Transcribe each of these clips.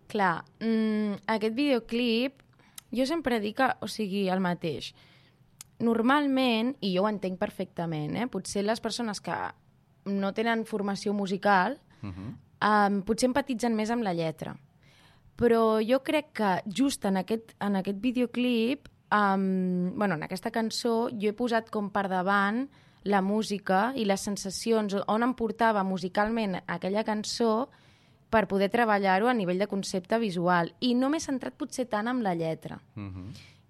Clar, aquest videoclip, jo sempre dic que, o sigui, el mateix. Normalment, i jo ho entenc perfectament, potser les persones que no tenen formació musical potser empatitzen més amb la lletra. Però jo crec que just en aquest videoclip, en aquesta cançó, jo he posat com per davant la música i les sensacions, on em portava musicalment aquella cançó per poder treballar-ho a nivell de concepte visual. I no m'he centrat potser tant amb la lletra.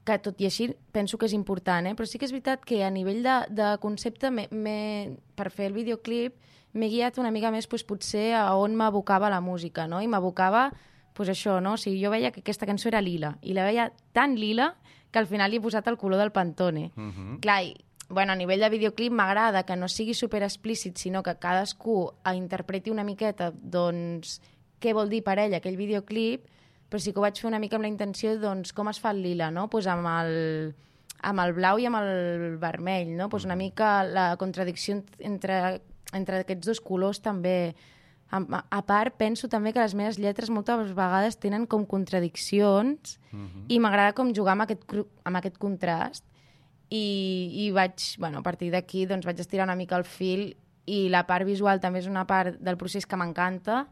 Que tot i així penso que és important, però sí que és veritat que a nivell de concepte per fer el videoclip m'he guiat una mica més potser a on m'abocava la música, no? I m'abocava això, no? O sigui, jo veia que aquesta cançó era lila i la veia tan lila que al final li he posat el color del Pantone. Clar, a nivell de videoclip m'agrada que no sigui super explícit, sinó que cadascú interpreti una miqueta doncs què vol dir per ell aquell videoclip, però sí que ho vaig fer una mica amb la intenció com es fa el lila, no? Amb el blau i amb el vermell, no? Una mica la contradicció entre aquests dos colors també. A part, penso també que les meves lletres moltes vegades tenen com contradiccions i m'agrada com jugar amb aquest contrast i vaig, a partir d'aquí vaig estirar una mica el fil i la part visual també és una part del procés que m'encanta.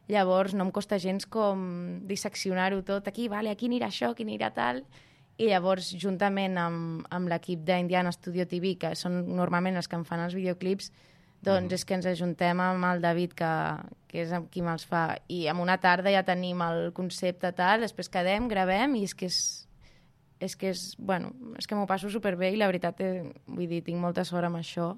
Llavors no em costa gens com disseccionar-ho tot. Aquí anirà això, aquí anirà tal. I llavors, juntament amb l'equip d'Indiana Studio TV, que són normalment els que em fan els videoclips, doncs és que ens ajuntem amb el David, que és amb qui me'ls fa. I en una tarda ja tenim el concepte tal, després quedem, gravem, i és que m'ho passo superbé i la veritat, vull dir, tinc molta sort amb això.